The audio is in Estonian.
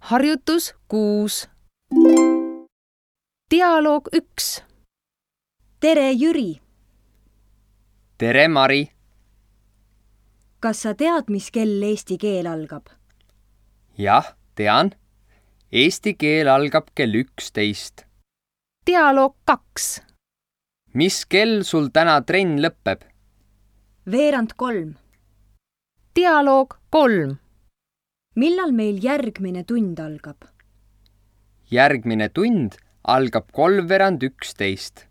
Harjutus 6. Dialoog 1. Tere, Jüri! Tere, Mari! Kas sa tead, mis kell eesti keel algab? Jah, tean. Eesti keel algab kell 11. Dialoog 2. Mis kell sul täna trenn lõpeb? 2:45. Dialoog 3. Millal meil järgmine tund algab? Järgmine tund algab 12:45.